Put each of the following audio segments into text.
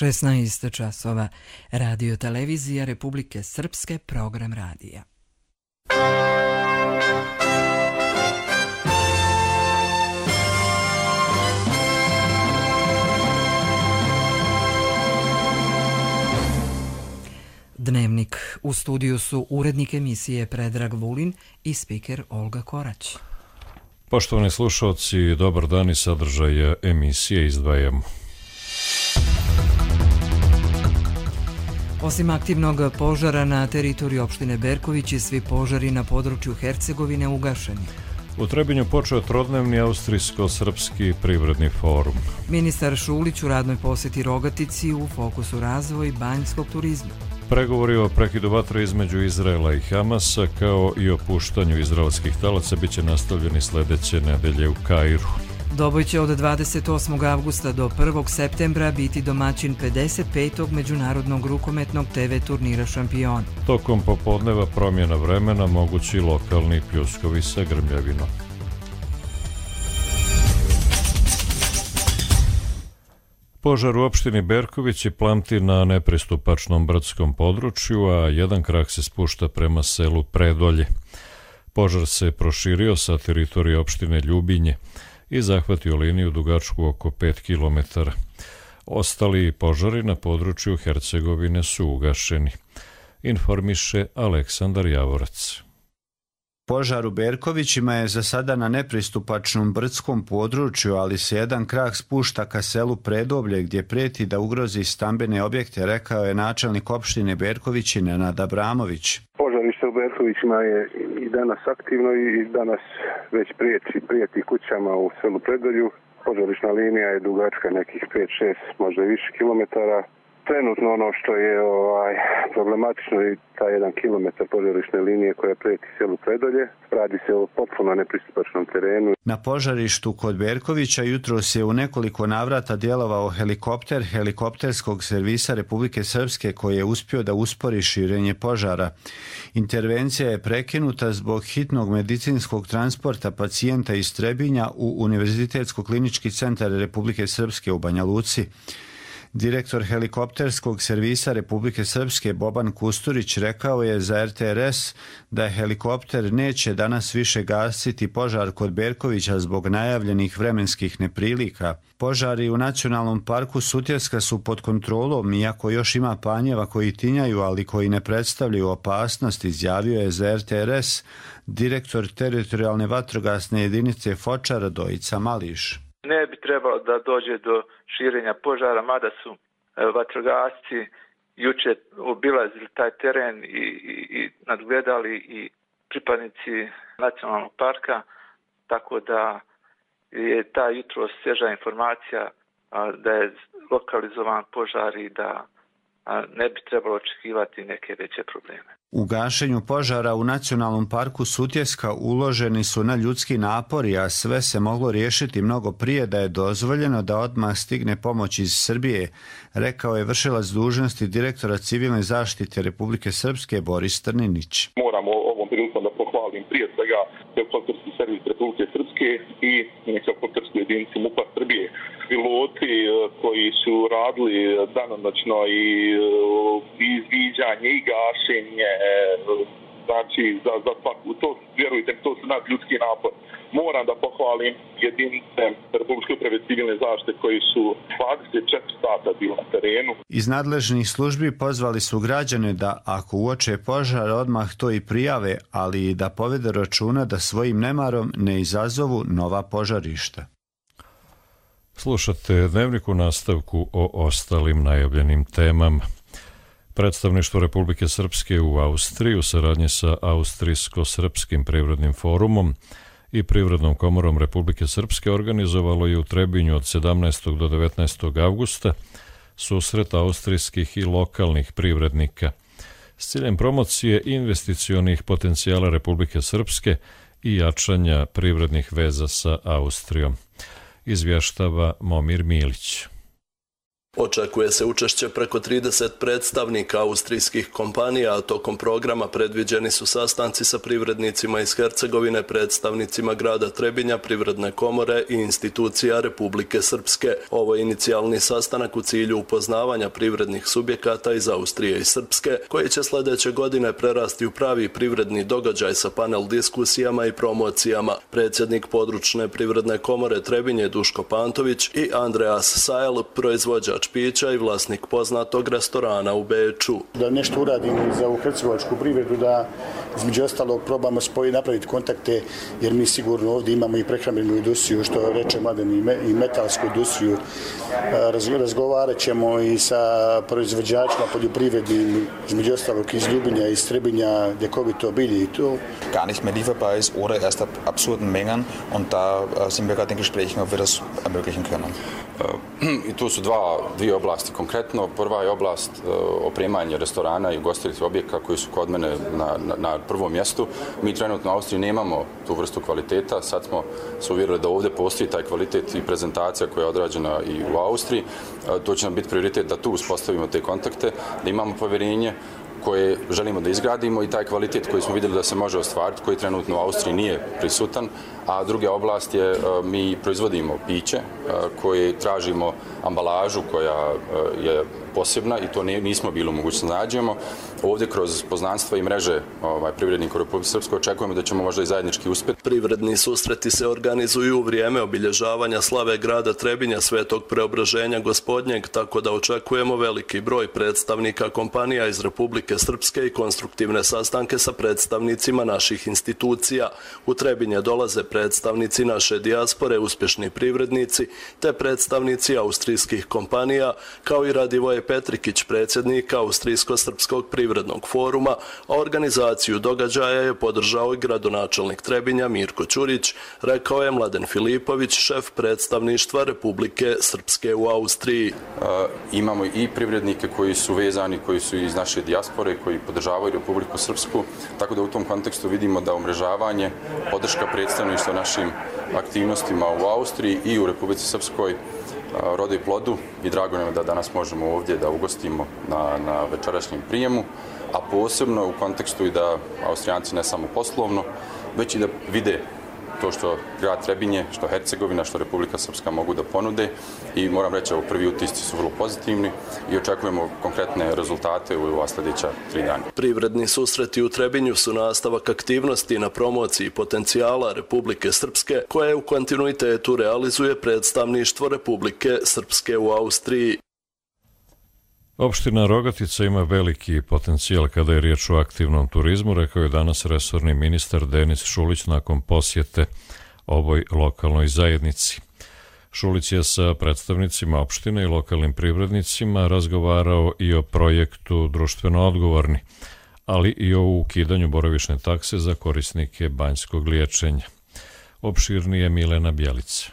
16 časova. Radio televizija Republike Srpske, program radija. Dnevnik. U studiju su urednik emisije Predrag Vulin i spiker Olga Korać. Poštovani slušalci, dobar dan i sadržaj emisije izdvajamo. Osim aktivnog požara na teritoriji opštine Berković i svi požari na području Hercegovine ugašeni. U Trebinju počeo trodnevni austrijsko-srpski privredni forum. Ministar Šulić u radnoj posjeti Rogatici, u fokusu razvoj banjskog turizma. Pregovori o prekidu vatre između Izraela i Hamasa kao i o puštanju izraelskih talaca biće nastavljeni sljedeće nedelje u Kairu. Doboj će od 28. avgusta do 1. septembra biti domaćin 55. međunarodnog rukometnog TV turnira Šampion. Tokom popodneva promjena vremena, mogući lokalni pljuskovi sa grmljavinom. Požar u opštini Berković i plamti na nepristupačnom brdskom području, a jedan krak se spušta prema selu Predolje. Požar se proširio sa teritorije opštine Ljubinje i zahvatio liniju dugačku oko 5 km. Ostali požari na području Hercegovine su ugašeni, informiše Aleksandar Javorac. Požar u Berkovićima je za sada na nepristupačnom brdskom području, ali se jedan krak spušta ka selu Predoblje gdje prijeti da ugrozi stambene objekte, rekao je načelnik opštine Berkovići Nenad Abramović. Požarište u Berkovićima je i danas aktivno i danas već prijeti kućama u selu Predolju. Požarišna linija je dugačka nekih 5-6, možda i više kilometara. Trenutno ono što je problematično je taj 1 kilometar požarišne linije koja prijeti selu Predolje. Radi se o potpuno nepristupačnom terenu. Na požarištu kod Berkovića jutros je u nekoliko navrata djelovao helikopter helikopterskog servisa Republike Srpske koji je uspio da uspori širenje požara. Intervencija je prekinuta zbog hitnog medicinskog transporta pacijenta iz Trebinja u Univerzitetsko-klinički centar Republike Srpske u Banja Luci. Direktor helikopterskog servisa Republike Srpske Boban Kusturić rekao je za RTRS da helikopter neće danas više gasiti požar kod Berkovića zbog najavljenih vremenskih neprilika. Požari u Nacionalnom parku Sutjeska su pod kontrolom, iako još ima panjeva koji tinjaju, ali koji ne predstavljaju opasnost, izjavio je za RTRS direktor teritorijalne vatrogasne jedinice Foča Radojica Mališ. Ne bi trebalo da dođe do širenja požara, mada su vatrogasci juče obilazili taj teren i nadgledali i pripadnici nacionalnog parka, tako da je ta jutro svježa informacija da je lokalizovan požar i da ne bi trebalo očekivati neke veće probleme. U gašenju požara u Nacionalnom parku Sutjeska uloženi su na ljudski napori, a sve se moglo riješiti mnogo prije da je dozvoljeno da odmah stigne pomoć iz Srbije, rekao je vršilac dužnosti direktora civilne zaštite Republike Srpske Boris Trninić. Moramo ovom prilikom da pohvalim prije svega helikopterski servis Republike Srpske i helikoptersku jedinicu MUP-a Srbije. Piloti koji su radili danonoćno i izviđanje i gašenje, znači za svaku, to, vjerujte, to su nadljudski napor. Moram da pohvalim jedinice Republičke uprave civilne zaštite koji su 24 sata bili na terenu. Iz nadležnih službi pozvali su građane da ako uoče požar odmah to i prijave, ali i da povede računa da svojim nemarom ne izazovu nova požarišta. Slušate dnevnik u nastavku o ostalim najavljenim temama. Predstavništvo Republike Srpske u Austriji u saradnji sa Austrijsko-srpskim privrednim forumom i Privrednom komorom Republike Srpske organizovalo je u Trebinju od 17. do 19. avgusta susret austrijskih i lokalnih privrednika s ciljem promocije investicionih potencijala Republike Srpske i jačanja privrednih veza sa Austrijom, izvještava Momir Milić. Očekuje se učešće preko 30 predstavnika austrijskih kompanija, a tokom programa predviđeni su sastanci sa privrednicima iz Hercegovine, predstavnicima grada Trebinja, Privredne komore i institucija Republike Srpske. Ovo je inicijalni sastanak u cilju upoznavanja privrednih subjekata iz Austrije i Srpske, koji će sljedeće godine prerasti u pravi privredni događaj sa panel diskusijama i promocijama. Predsjednik područne Privredne komore Trebinje Duško Pantović i Andreas Sajl, proizvođač pića i vlasnik poznatog restorana u Beču. Da nešto uradimo za ovu hercegovačku privredu, da između ostalog probamo napraviti kontakte, jer mi sigurno ovdje imamo i prehrambenu industriju, što reče Mladen, i metalsku industriju. Razgovarat ćemo i sa proizvođačima poljoprivrednim, između ostalog iz Ljubinja, iz Trebinja, ljekovito bilje i to. Gar nicht mehr lieferbar ist oder erst ab absurden Mengen, und da sind wir gerade in Gesprächen, ob wir das ermöglichen können. I tu su dvije oblasti konkretno. Prva je oblast opremanja restorana i ugostiteljskih objekata koji su kod mene na prvom mjestu. Mi trenutno u Austriji nemamo tu vrstu kvaliteta. Sad smo se uvjerili da ovdje postoji taj kvalitet i prezentacija koja je odrađena i u Austriji. To će nam biti prioritet da tu uspostavimo te kontakte, da imamo povjerenje koje želimo da izgradimo i taj kvalitet koji smo vidjeli da se može ostvariti, koji trenutno u Austriji nije prisutan. A druga oblast je, mi proizvodimo piće koje tražimo ambalažu koja je posebna i to nismo bili u mogućnosti da nađemo. Ovdje kroz poznanstva i mreže privrednika u Republike Srpskoj očekujemo da ćemo možda i zajednički uspjeti. Privredni susreti se organizuju u vrijeme obilježavanja slave grada Trebinja Svetog Preobraženja Gospodnjeg, tako da očekujemo veliki broj predstavnika kompanija iz Republike Srpske i konstruktivne sastanke sa predstavnicima naših institucija. U Trebinje dolaze predstavnici naše dijaspore, uspješni privrednici, te predstavnici austrijskih kompanija, kao i Radivoje Petrikić, predsjednik Austrijsko-srpskog privrednog foruma, a organizaciju događaja je podržao i gradonačelnik Trebinja Mirko Ćurić, rekao je Mladen Filipović, šef predstavništva Republike Srpske u Austriji. Imamo i privrednike koji su vezani, koji su iz naše dijaspore, koji podržavaju Republiku Srpsku, tako da u tom kontekstu vidimo da umrežavanje, podrška predstavništva našim aktivnostima u Austriji i u Republici Srpskoj rode i plodu i drago nam je da danas možemo ovdje da ugostimo na večerašnjem prijemu, a posebno u kontekstu i da Austrijanci ne samo poslovno, već i da vide to što grad Trebinje, što Hercegovina, što Republika Srpska mogu da ponude i moram reći da prvi utisci su vrlo pozitivni i očekujemo konkretne rezultate u ova sljedeća 3 dana. Privredni susreti u Trebinju su nastavak aktivnosti na promociji potencijala Republike Srpske, koje u kontinuitetu realizuje predstavništvo Republike Srpske u Austriji. Opština Rogatica ima veliki potencijal kada je riječ o aktivnom turizmu, rekao je danas resorni ministar Denis Šulić nakon posjete ovoj lokalnoj zajednici. Šulić je sa predstavnicima opštine i lokalnim privrednicima razgovarao i o projektu društveno odgovorni, ali i o ukidanju boravišne takse za korisnike banjskog liječenja. Opširnije Milena Bjelica.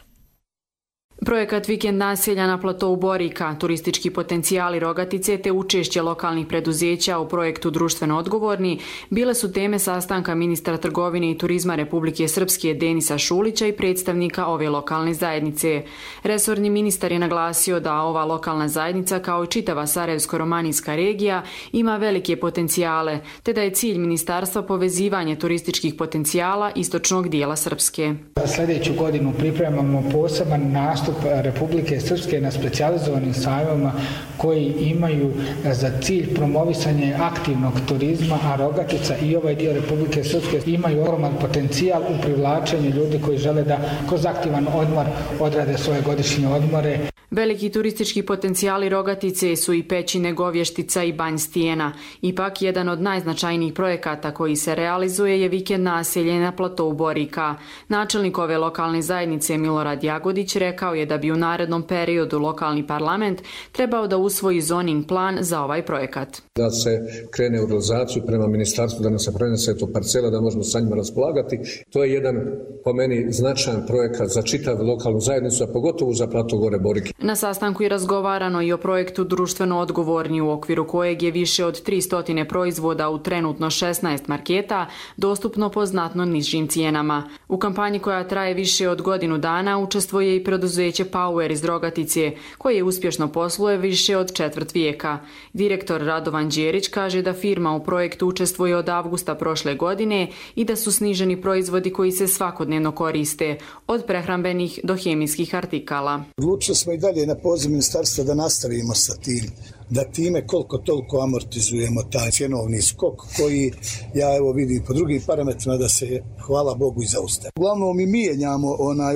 Projekat Vikend naselja na platou Borika, turistički potencijali Rogatice te učešće lokalnih preduzeća u projektu društveno odgovorni bile su teme sastanka ministra trgovine i turizma Republike Srpske Denisa Šulića i predstavnika ove lokalne zajednice. Resorni ministar je naglasio da ova lokalna zajednica kao i čitava Sarajevsko-romanijska regija ima velike potencijale, te da je cilj ministarstva povezivanje turističkih potencijala istočnog dijela Srpske. Sljedeću godinu pripremamo poseban nastup Republike Srpske na specijalizovanim sajmovima koji imaju za cilj promovisanje aktivnog turizma, a Rogatica i ovaj dio Republike Srpske imaju ogroman potencijal u privlačenju ljudi koji žele da kroz aktivan odmor odrade svoje godišnje odmore. Veliki turistički potencijali Rogatice su i Pećine, Govještica i Banj Stijena. Ipak, jedan od najznačajnijih projekata koji se realizuje je vikend naselje na platou Borika. Načelnik ove lokalne zajednice Milorad Jagodić rekao je da bi u narednom periodu lokalni parlament trebao da usvoji zoning plan za ovaj projekat. Da se krene u realizaciju prema ministarstvu, da nam se prenese to parcela, da možemo sa njima raspolagati. To je jedan, po meni, značajan projekat za čitavu lokalnu zajednicu, a pogotovo za platou gore Borike. Na sastanku je razgovarano i o projektu Društveno odgovorni, u okviru kojeg je više od 300 proizvoda u trenutno 16 marketa dostupno po znatno nižim cijenama. U kampanji koja traje više od godinu dana učestvuje i preduzeće Power iz Rogatice, koje uspješno posluje više od četvrt vijeka. Direktor Radovan Đerić kaže da firma u projektu učestvuje od avgusta prošle godine i da su sniženi proizvodi koji se svakodnevno koriste, od prehrambenih do hemijskih artikala. Odlučili smo i dalje na poziv ministarstva da nastavimo sa tim, da time koliko toliko amortizujemo taj cjenovni skok koji ja evo vidim po drugim parametrima da se hvala Bogu i zaustavi. Uglavnom mi mijenjamo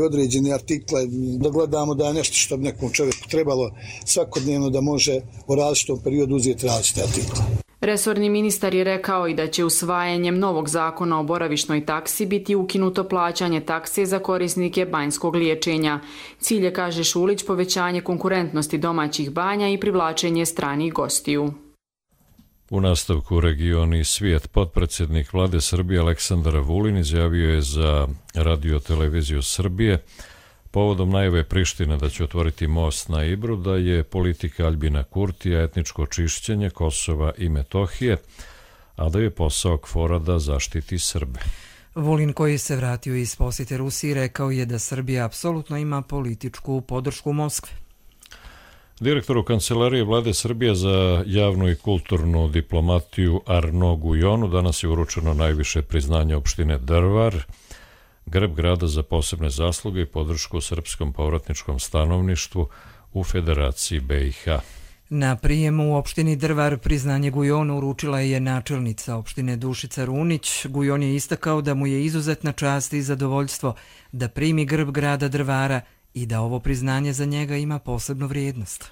određene artikle, da gledamo da je nešto što bi nekom čovjeku trebalo svakodnevno da može u različitom periodu uzeti različite artikle. Resorni ministar je rekao i da će usvajanjem novog zakona o boravišnoj taksi biti ukinuto plaćanje takse za korisnike banjskog liječenja. Cilj je, kaže Šulić, povećanje konkurentnosti domaćih banja i privlačenje stranih gostiju. U nastavku Region i svijet, potpredsjednik Vlade Srbije Aleksandar Vulin izjavio je za Radio-televiziju Srbije povodom najave Prištine da će otvoriti most na Ibru da je politika Aljbina Kurtija etničko čišćenje Kosova i Metohije, a da je posao KFOR-a da zaštiti Srbe. Vulin, koji se vratio iz posjete Rusiji, rekao je da Srbija apsolutno ima političku podršku Moskve. Direktoru Kancelarije Vlade Srbije za javnu i kulturnu diplomatiju Arno Gujonu danas je uručeno najviše priznanje opštine Drvar, grb grada za posebne zasluge i podršku srpskom povratničkom stanovništvu u Federaciji BiH. Na prijemu u opštini Drvar priznanje Gujonu uručila je načelnica opštine Dušica Runić. Gujon je istakao da mu je izuzetna čast i zadovoljstvo da primi grb grada Drvara i da ovo priznanje za njega ima posebnu vrijednost.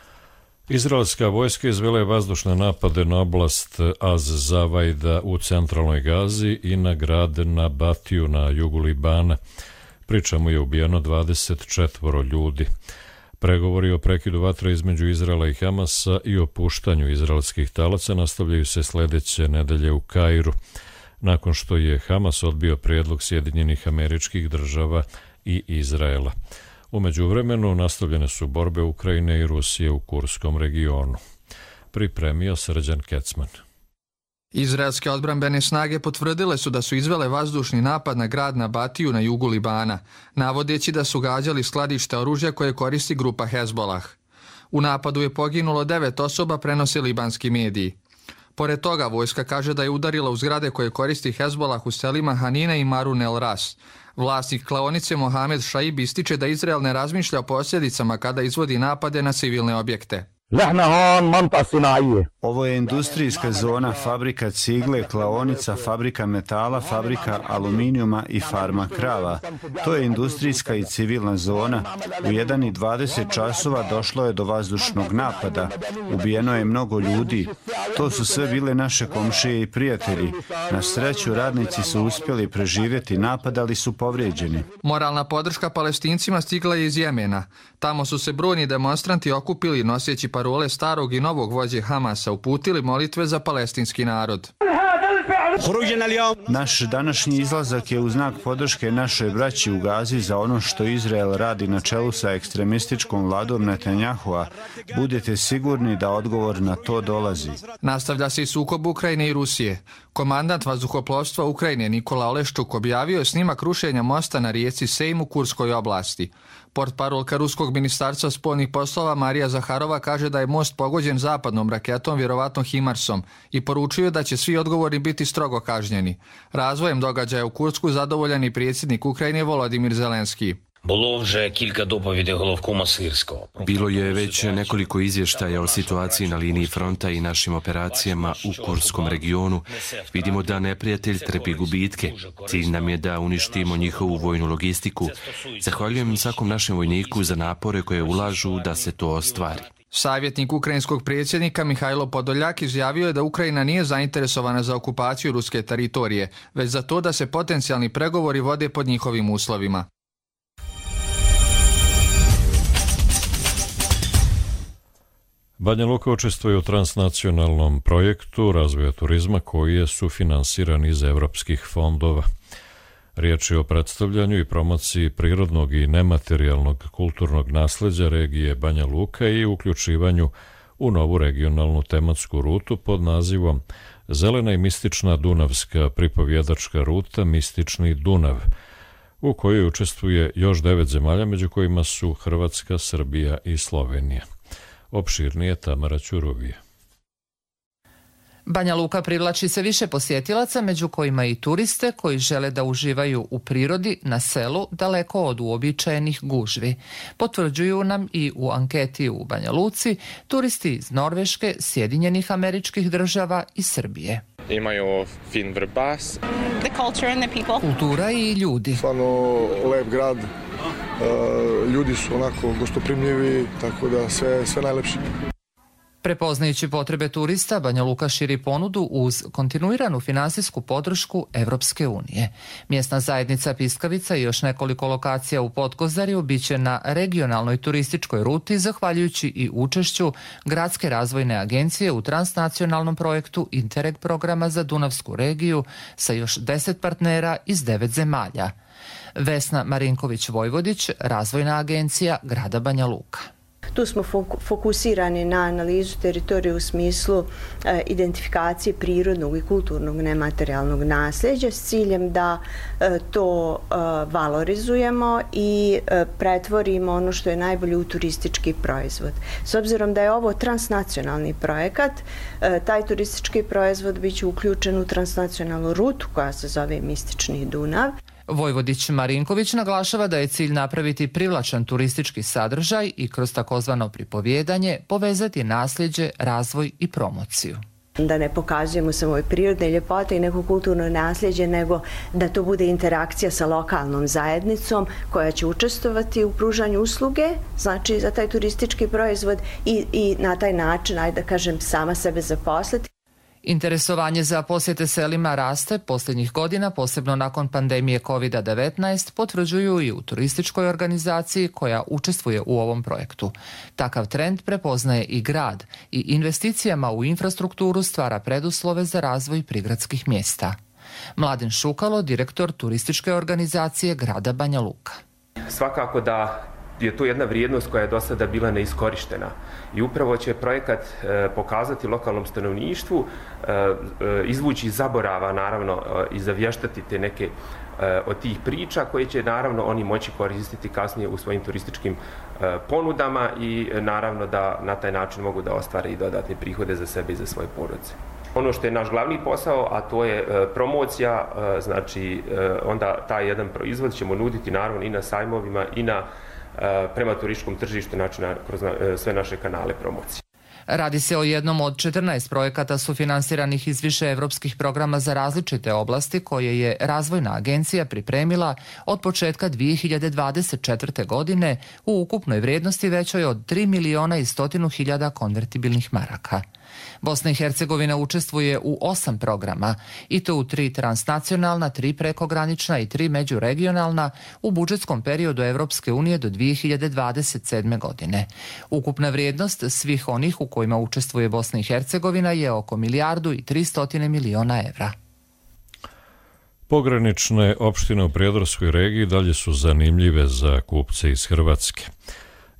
Izraelska vojska izvela je vazdušne napade na oblast Az-Zavajda u centralnoj Gazi i na grad Nabatiju na jugu Libana, pri čemu je ubijeno 24 ljudi. Pregovori o prekidu vatre između Izraela i Hamasa i o puštanju izraelskih talaca nastavljaju se sljedeće nedelje u Kairu, nakon što je Hamas odbio prijedlog Sjedinjenih Američkih Država i Izraela. U međuvremenu nastavljene su borbe Ukrajine i Rusije u Kurskom regionu. Pripremio Srđan Kecman. Izraelske odbrambene snage potvrdile su da su izvele vazdušni napad na grad Nabatiju na jugu Libana, navodeći da su gađali skladište oružja koje koristi grupa Hezbolah. U napadu je poginulo 9 osoba, prenose libanski mediji. Pored toga, vojska kaže da je udarila u zgrade koje koristi Hezbolah u selima Hanina i Marun el Ras. Vlasnik klaonice Mohamed Šaib ističe da Izrael ne razmišlja o posljedicama kada izvodi napade na civilne objekte. Ovo je industrijska zona, fabrika cigle, klaonica, fabrika metala, fabrika aluminijuma i farma krava. To je industrijska i civilna zona. U 1:20 časova došlo je do vazdušnog napada. Ubijeno je mnogo ljudi. To su sve bile naše komšije i prijatelji. Na sreću, radnici su uspjeli preživjeti napad, ali su povrijeđeni. Moralna podrška Palestincima stigla je iz Jemena. Tamo su se brojni demonstranti okupili noseći parole starog i novog vođe Hamasa, uputili molitve za palestinski narod. Naš današnji izlazak je u znak podrške našoj braći u Gazi za ono što Izrael radi na čelu sa ekstremističkom vladom Netanjahua. Budete sigurni da odgovor na to dolazi. Nastavlja se i sukob Ukrajine i Rusije. Komandant vazduhoplovstva Ukrajine Nikola Oleščuk objavio je snimak rušenja mosta na rijeci Sejm u Kurskoj oblasti. Portparolka Ruskog ministarstva spoljnih poslova Marija Zaharova kaže da je most pogođen zapadnom raketom, vjerovatno Himarsom, i poručuje da će svi odgovorni biti strogo kažnjeni. Razvojem događaja u Kursku zadovoljan i predsjednik Ukrajine Volodimir Zelenski. Bilo je već nekoliko izvještaja o situaciji na liniji fronta i našim operacijama u Kurskom regionu. Vidimo da neprijatelj trpi gubitke. Cilj nam je da uništimo njihovu vojnu logistiku. Zahvaljujem svakom našem vojniku za napore koje ulažu da se to ostvari. Savjetnik ukrajinskog predsjednika Mihajlo Podoljak izjavio je da Ukrajina nije zainteresovana za okupaciju ruske teritorije, već za to da se potencijalni pregovori vode pod njihovim uslovima. Banja Luka učestvuje u transnacionalnom projektu razvoja turizma koji je sufinansiran iz evropskih fondova. Riječ je o predstavljanju i promociji prirodnog i nematerijalnog kulturnog nasleđa regije Banja Luka i uključivanju u novu regionalnu tematsku rutu pod nazivom Zelena i mistična dunavska pripovjedačka ruta Mistični Dunav, u kojoj učestvuje još 9 zemalja, među kojima su Hrvatska, Srbija i Slovenija. Opširnije Tamara Ćuruvija. Banja Luka privlači se više posjetilaca, među kojima i turiste koji žele da uživaju u prirodi na selu daleko od uobičajenih gužvi. Potvrđuju nam i u anketi u Banja Luci turisti iz Norveške, Sjedinjenih Američkih Država i Srbije. Imaju fin vrbas. Kultura i ljudi. Stvarno lep grad, ljudi su onako gostoprimljivi, tako da sve najlepše. Prepoznajući potrebe turista, Banja Luka širi ponudu uz kontinuiranu finansijsku podršku Evropske unije. Mjesna zajednica Piskavica i još nekoliko lokacija u Podkozarju biće na regionalnoj turističkoj ruti zahvaljujući i učešću Gradske razvojne agencije u transnacionalnom projektu Interreg programa za Dunavsku regiju sa još 10 partnera iz 9 zemalja. Vesna Marinković-Vojvodić, Razvojna agencija grada Banja Luka. Tu smo fokusirani na analizu teritorije u smislu identifikacije prirodnog i kulturnog nematerijalnog nasljeđa s ciljem da to valorizujemo i pretvorimo ono što je najbolje u turistički proizvod. S obzirom da je ovo transnacionalni projekat, taj turistički proizvod biće uključen u transnacionalnu rutu koja se zove Mistični Dunav. Vojvodić Marinković naglašava da je cilj napraviti privlačan turistički sadržaj i kroz takozvano pripovjedanje povezati nasljeđe, razvoj i promociju. Da ne pokazujemo samo prirodne ljepote i neko kulturno nasljeđe, nego da to bude interakcija sa lokalnom zajednicom koja će učestvovati u pružanju usluge, znači za taj turistički proizvod i na taj način, ajde da kažem, sama sebe zaposliti. Interesovanje za posjete selima raste posljednjih godina, posebno nakon pandemije COVID-19, potvrđuju i u turističkoj organizaciji koja učestvuje u ovom projektu. Takav trend prepoznaje i grad i investicijama u infrastrukturu stvara preduslove za razvoj prigradskih mjesta. Mladen Šukalo, direktor turističke organizacije grada Banja Luka. Svakako da je to jedna vrijednost koja je do sada bila neiskorištena i upravo će projekat pokazati lokalnom stanovništvu, izvući iz zaborava naravno i zavještati te neke od tih priča koje će naravno oni moći koristiti kasnije u svojim turističkim ponudama i naravno da na taj način mogu da ostvare i dodatne prihode za sebe i za svoje porodice. Ono što je naš glavni posao, a to je promocija, znači onda taj jedan proizvod ćemo nuditi naravno i na sajmovima i prema turističkom tržištu, znači kroz sve naše kanale promocije. Radi se o jednom od 14 projekata sufinansiranih iz više evropskih programa za različite oblasti koje je Razvojna agencija pripremila od početka 2024. godine u ukupnoj vrijednosti većoj od 3.100.000 konvertibilnih maraka. Bosna i Hercegovina učestvuje u 8 programa, i to u 3 transnacionalna, 3 prekogranična i 3 međuregionalna u budžetskom periodu Evropske unije do 2027. godine. Ukupna vrijednost svih onih u kojima učestvuje Bosna i Hercegovina je oko 1.300.000.000 evra. Pogranične opštine u Prijedorskoj regiji dalje su zanimljive za kupce iz Hrvatske.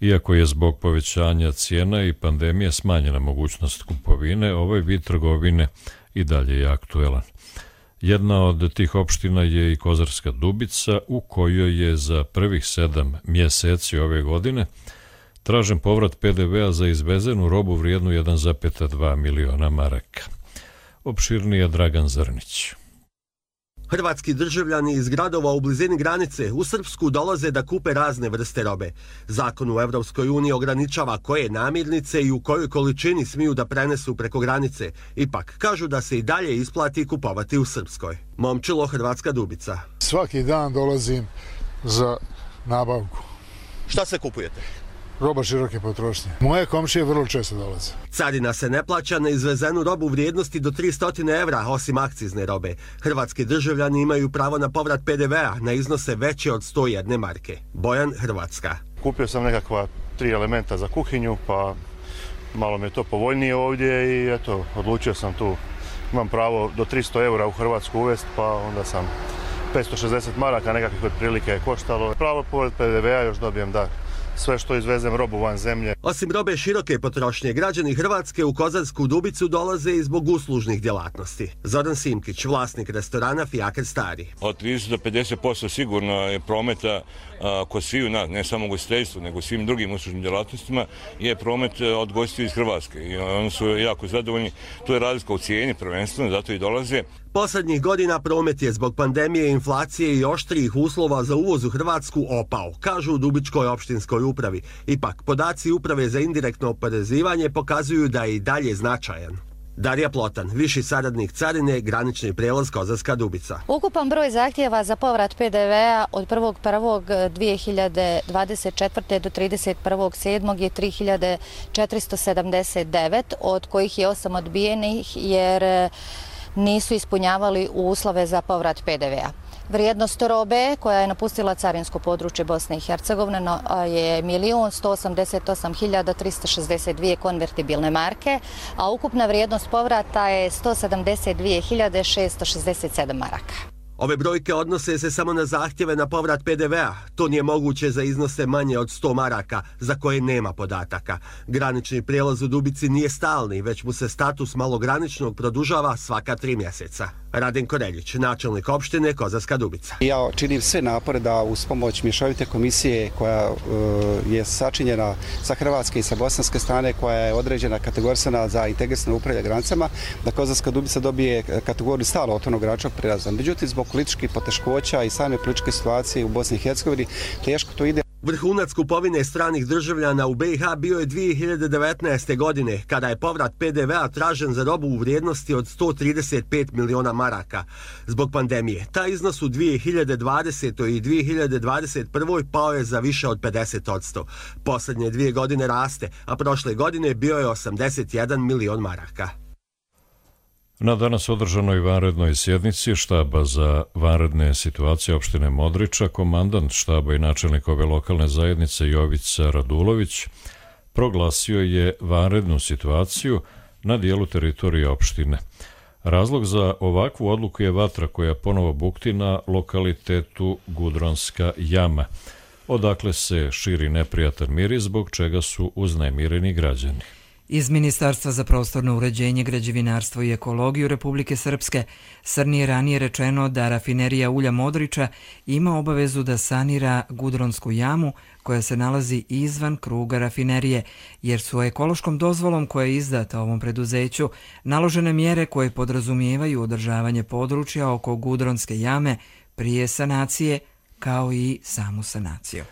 Iako je zbog povećanja cijena i pandemije smanjena mogućnost kupovine, ovaj vid trgovine i dalje je aktuelan. Jedna od tih opština je i Kozarska Dubica, u kojoj je za prvih 7 mjeseci ove godine tražen povrat PDV-a za izvezenu robu vrijednu 1,2 miliona maraka. Opširnije Dragan Zrnić. Hrvatski državljani iz gradova u blizini granice u Srpsku dolaze da kupe razne vrste robe. Zakon u Evropskoj uniji ograničava koje namirnice i u kojoj količini smiju da prenesu preko granice. Ipak, kažu da se i dalje isplati kupovati u Srpskoj. Momčilo, Hrvatska Dubica. Svaki dan dolazim za nabavku. Šta se kupujete? Roba široke potrošnje. Moje komšije vrlo često dolaze. Carina se ne plaća na izvezenu robu vrijednosti do 300 evra, osim akcizne robe. Hrvatski državljani imaju pravo na povrat PDV-a na iznose veće od 101 marke. Bojan, Hrvatska. Kupio sam nekakva 3 elementa za kuhinju, pa malo mi je to povoljnije ovdje i eto, odlučio sam tu. Imam pravo do 300 evra u Hrvatsku uvesti, pa onda sam 560 maraka nekakvih otprilike je koštalo. Pravo povrat PDV-a još dobijem da sve što izvezem robu van zemlje. Osim robe široke potrošnje, građani Hrvatske u Kozarsku Dubicu dolaze i zbog uslužnih djelatnosti. Zoran Simkić, vlasnik restorana Fijaker Stari. Od 30 do 50% sigurno je prometa kod sviju nas, ne samo gostiteljstvu, nego svim drugim uslužnim djelatnostima, je promet od gostiju iz Hrvatske. I oni su jako zadovoljni. To je razlika u cijeni prvenstveno, zato i dolaze. Posljednjih godina promet je zbog pandemije, inflacije i oštrijih uslova za uvoz u Hrvatsku opao, kažu u Dubičkoj opštinskoj upravi. Ipak, podaci uprave za indirektno oporezivanje pokazuju da je i dalje značajan. Darija Plotan, viši saradnik carine, granični prijelaz Kozarska Dubica. Ukupan broj zahtjeva za povrat PDV-a od 1.1.2024. do 31.7. je 3479, od kojih je 8 odbijenih jer nisu ispunjavali uslove za povrat PDV-a. Vrijednost robe koja je napustila carinsko područje Bosne i Hercegovine je 1.188.362 konvertibilne marke, a ukupna vrijednost povrata je 172.667 maraka. Ove brojke odnose se samo na zahtjeve na povrat PDV-a. To nije moguće za iznose manje od 100 maraka, za koje nema podataka. Granični prijelaz u Dubici nije stalni, već mu se status malograničnog produžava svaka 3 mjeseca. Raden Koreljić, načelnik opštine Kozarska Dubica. Ja činim sve napore da uz pomoć mješovite komisije koja je sačinjena sa hrvatske i sa bosanske strane, koja je određena kategorisana za integrisano upravljanje granicama, da Kozarska Dubica dobije kategoriju stalno otvorenog graničnog prijelaza. Međutim, zbog političkih poteškoća i same političke situacije u Bosni i Hercegovini teško to ide. Vrhunac kupovine stranih državljana u BiH bio je 2019. godine, kada je povrat PDV-a tražen za robu u vrijednosti od 135 miliona maraka. Zbog pandemije, taj iznos u 2020. i 2021. pao je za više od 50%. Posljednje 2 godine raste, a prošle godine bio je 81 milion maraka. Na danas održanoj vanrednoj sjednici štaba za vanredne situacije opštine Modriča, komandant štaba i načelnik ove lokalne zajednice Jovica Radulović proglasio je vanrednu situaciju na dijelu teritorije opštine. Razlog za ovakvu odluku je vatra koja ponovo bukti na lokalitetu Gudronska jama, odakle se širi neprijatan miris zbog čega su uznemireni građani. Iz Ministarstva za prostorno uređenje, građevinarstvo i ekologiju Republike Srpske Srni je ranije rečeno da rafinerija ulja Modriča ima obavezu da sanira Gudronsku jamu koja se nalazi izvan kruga rafinerije, jer su ekološkom dozvolom koja je izdata ovom preduzeću naložene mjere koje podrazumijevaju održavanje područja oko Gudronske jame prije sanacije, kao i samu sanaciju.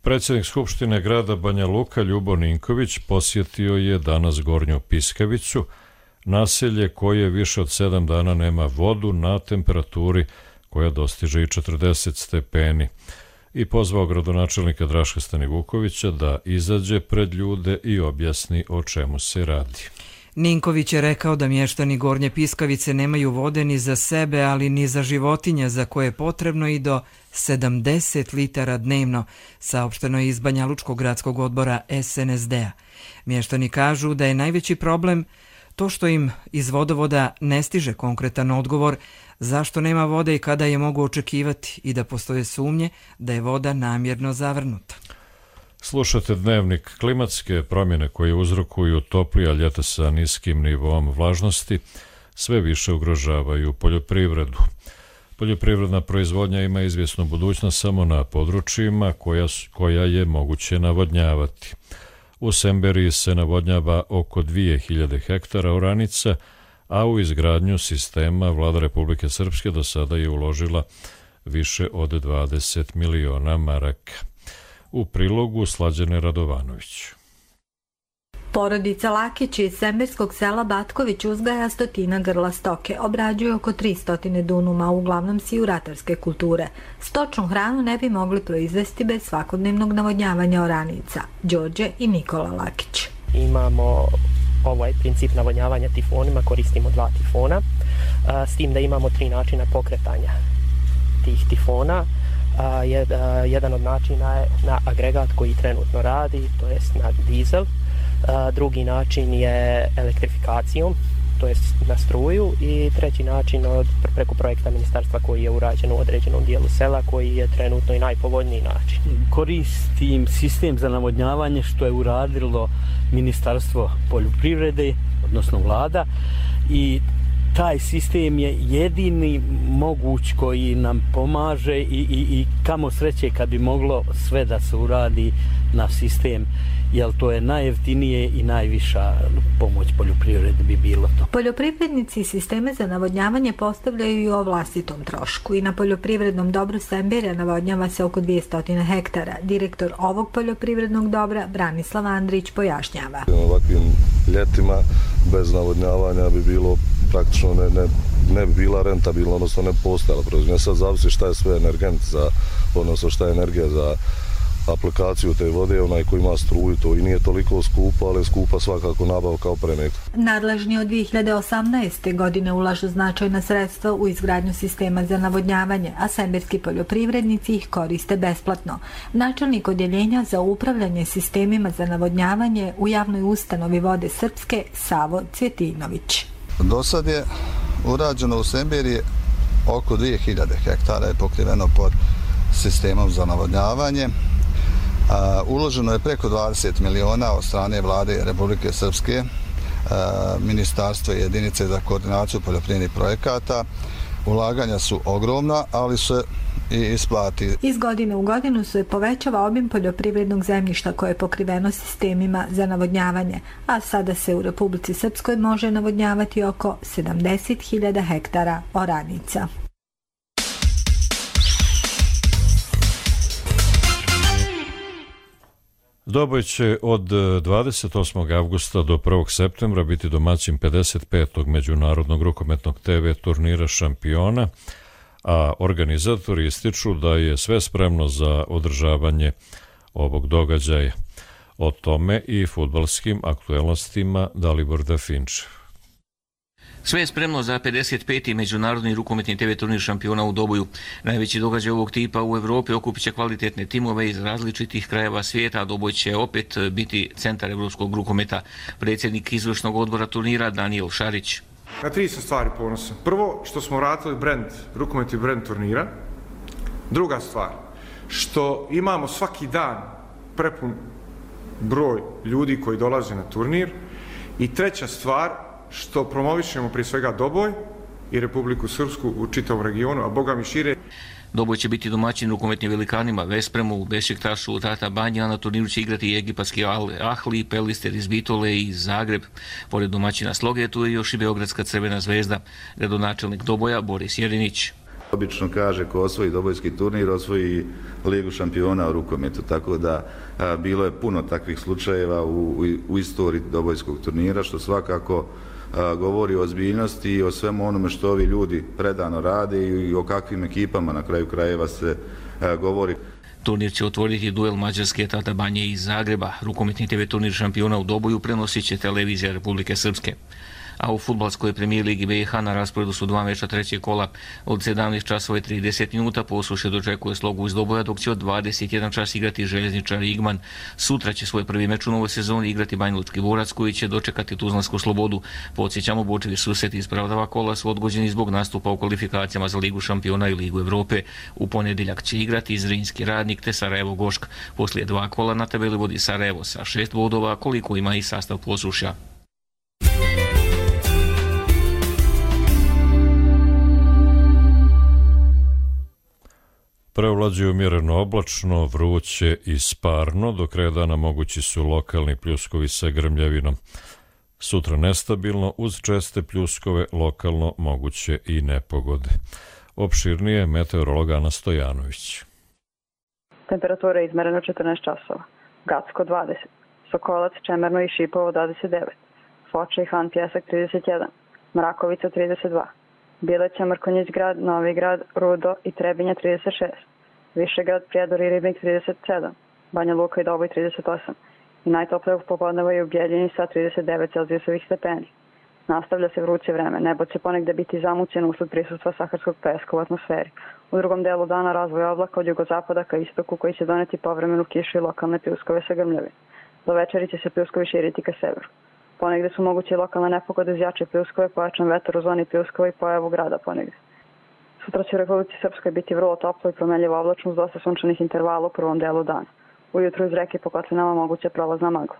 Predsjednik Skupštine grada Banja Luka Ljubo Ninković posjetio je danas Gornju Piskavicu, naselje koje više od 7 dana nema vodu na temperaturi koja dostiže i 40 stepeni, i pozvao gradonačelnika Draška Stanivukovića da izađe pred ljude i objasni o čemu se radi. Ninković je rekao da mještani Gornje Piskavice nemaju vode ni za sebe, ali ni za životinje, za koje je potrebno i do 70 litara dnevno, saopšteno je iz Banjalučkog gradskog odbora SNSD-a. Mještani kažu da je najveći problem to što im iz vodovoda ne stiže konkretan odgovor zašto nema vode i kada je mogu očekivati, i da postoje sumnje da je voda namjerno zavrnuta. Slušate Dnevnik. Klimatske promjene koje uzrokuju toplija ljeta sa niskim nivom vlažnosti sve više ugrožavaju poljoprivredu. Poljoprivredna proizvodnja ima izvjesnu budućnost samo na područjima koja je moguće navodnjavati. U Semberiji se navodnjava oko 2000 hektara oranica, a u izgradnju sistema vlada Republike Srpske do sada je uložila više od 20 miliona maraka. U prilogu Slađane Radovanović. Porodica Lakić iz semberskog sela Batković uzgaja 100 grla stoke, obrađuje oko 300 dunuma, uglavnom siju ratarske kulture. Stočnu hranu ne bi mogli proizvesti bez svakodnevnog navodnjavanja oranica. Đorđe i Nikola Lakić. Imamo ovaj princip navodnjavanja tifonima, koristimo 2 tifona, s tim da imamo 3 načina pokretanja tih tifona. Jedan od načina je na agregat koji trenutno radi, to jest na dizel. Drugi način je elektrifikacijom, to jest na struju, i treći način preko projekta ministarstva koji je urađen u određenom dijelu sela, koji je trenutno i najpovoljniji način. Koristim sistem za navodnjavanje što je uradilo Ministarstvo poljoprivrede, odnosno vlada, i taj sistem je jedini moguć koji nam pomaže i kamo sreće kad bi moglo sve da se uradi na sistem, jer to je najjeftinije i najviša pomoć poljoprivredi bi bilo to. Poljoprivrednici sisteme za navodnjavanje postavljaju i o vlastitom trošku i na poljoprivrednom dobru Semberja navodnjava se oko 200 hektara. Direktor ovog poljoprivrednog dobra, Branislav Andrić, pojašnjava. Ovakvim ljetima bez navodnjavanja bi bilo praktično ne bi bila rentabilna, odnosno ne postojala proizvodnja. Sad zavisi šta je sve energent odnosno šta je energija za aplikaciju te vode, onaj koji ima struju, to i nije toliko skupo, ali je skupa svakako nabavka opreme. Nadležni od 2018. godine ulažu značajna sredstva u izgradnju sistema za navodnjavanje, a semberski poljoprivrednici ih koriste besplatno. Načelnik odjeljenja za upravljanje sistemima za navodnjavanje u javnoj ustanovi Vode Srpske, Savo Cvjetinović. Do sad je urađeno u Semberiji oko 2000 hektara je pokriveno pod sistemom za navodnjavanje. Uloženo je preko 20 miliona od strane vlade Republike Srpske, ministarstva i jedinice za koordinaciju poljoprivrednih projekata. Ulaganja su ogromna, ali se i isplati. Iz godine u godinu se povećava obim poljoprivrednog zemljišta koje je pokriveno sistemima za navodnjavanje, a sada se u Republici Srpskoj može navodnjavati oko 70.000 hektara oranica. Doboj će od 28. avgusta do 1. septembra biti domaćin 55. međunarodnog rukometnog TV turnira Šampiona, a organizatori ističu da je sve spremno za održavanje ovog događaja. O tome i fudbalskim aktuelnostima Dalibor Dafinčev. Sve je spremno za 55. međunarodni rukometni TV turnir Šampiona u Doboju. Najveći događaj ovog tipa u Evropi okupit će kvalitetne timove iz različitih krajeva svijeta, a Doboj će opet biti centar evropskog rukometa. Predsjednik izvršnog odbora turnira Daniel Šarić. Na 3 sam stvari ponosan. Prvo, što smo vratili rukometni brend turnira. Druga stvar, što imamo svaki dan prepun broj ljudi koji dolaze na turnir. I treća stvar, što promovišemo prije svega Doboj i Republiku Srpsku u čitavom regionu, a boga mi šire. Doboj će biti domaćin rukometnim velikanima Vespremu, Bešiktašu, Tata Banja, a na turniru će igrati i egipatski Ahli, Pelister iz Bitole i Zagreb. Pored domaćina Sloge, tu je još i Beogradska Crvena zvezda. Gradonačelnik Doboja Boris Jerinić. Obično kaže ko osvoji dobojski turnir, osvoji Ligu šampiona u rukometu, tako da bilo je puno takvih slučajeva u istoriji dobojskog turnira, što svakako govori o ozbiljnosti i o svemu onome što ovi ljudi predano rade i o kakvim ekipama na kraju krajeva se govori. Turnir će otvoriti duel Mađarske, Tata Banje i Zagreba. Rukometni TV turnir Šampiona u Doboju prenosit će televizija Republike Srpske. A u fudbalskoj premijer ligi BiH na rasporedu su 2 meča trećeg kola. Od 17 časova i 30 minuta Posuše dočekuje Slogu iz Doboja, dok će od 21 čas igrati Željezničar Igman. Sutra će svoj prvi meč u novoj sezoni igrati Banjalučki Borac, koji će dočekati Tuzlansku Slobodu. Podsjećamo, Bočevi susreti iz prvih 2 kola su odgođeni zbog nastupa u kvalifikacijama za Ligu šampiona i Ligu Evrope. U ponedjeljak će igrati Zrinski Radnik te Sarajevo Gošk. Poslije 2 kola na tabeli vodi Sarajevo sa 6 bodova, koliko ima i sastav Posušja. Preovlađuje umjereno oblačno, vruće i sparno, do kraja dana mogući su lokalni pljuskovi sa grmljavinom. Sutra nestabilno, uz česte pljuskove, lokalno moguće i nepogode. Opširnije meteorolog Ana Stojanović. Temperatura je izmerena 14 časova. Gacko 20, Sokolac, Čemerno i Šipovo 29, Foča i Han Pjesak 31, Mrakovica 32, Bileća, Mrkonjić grad, Novi grad, Rudo i Trebinja 36, Višegrad, Prijedor i Ribnik 37, Banja Luka i Doboj 38 i najtoplije popodneva je u Bjeljini sa 39 celzijusovih stepeni. Nastavlja se vruće vreme, nebo će ponegde biti zamućeno usled prisustva saharskog peska u atmosferi. U drugom delu dana razvoj oblaka od jugozapada ka istoku koji će doneti povremenu kišu i lokalne pljuskove sa grmljavim. Do večeri će se pljuskovi širiti ka severu. Ponegde su moguće i lokalne nepogode uz jače pljuskove, pojačan vetar u zoni pljuskova i pojavu grada ponegde. Sutra će u Republici Srpskoj biti vrlo toplo i promenljivo oblačno uz dosta sunčanih intervala u prvom delu dana. Ujutru iz reke po kotlinama moguća prolazna magla.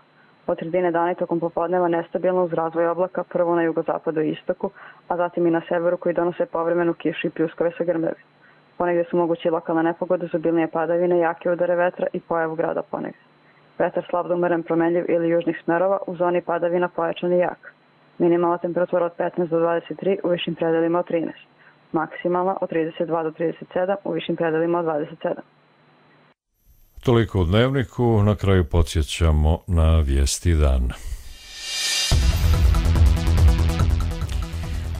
Od sredine dana i tokom popodneva nestabilno uz razvoj oblaka, prvo na jugozapadu i istoku, a zatim i na severu koji donose povremenu kišu i pljuskove sa grmljavi. Ponegde su moguće lokalne nepogode uz obilnije padavine, jake udare vetra i pojavu grada ponegde. Vetar slab do umeren promenljiv ili južnih smerova, u zoni padavina pojačan i jak. Minimalna temperatura od 15 do 23, u višim predelima od 13. Maksimalna od 32 do 37, u višim predelima od 27. Toliko u Dnevniku, na kraju podsjećamo na vijesti dana.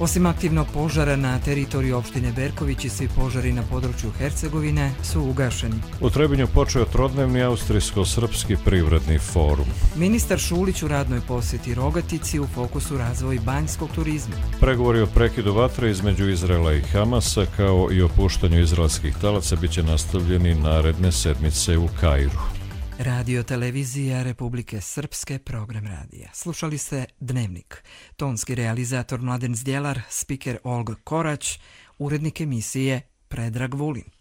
Osim aktivnog požara na teritoriju opštine Berković i svi požari na području Hercegovine su ugašeni. U Trebinju počeo trodnevni austrijsko-srpski privredni forum. Ministar Šulić u radnoj posjeti Rogatici, u fokusu razvoj banjskog turizma. Pregovori o prekidu vatre između Izraela i Hamasa kao i o puštanju izraelskih talaca biće nastavljeni naredne sedmice u Kairu. Radio televizija Republike Srpske, program radija. Slušali ste Dnevnik. Tonski realizator Mladen Zdjelar, spiker Olga Korać, urednik emisije Predrag Vulin.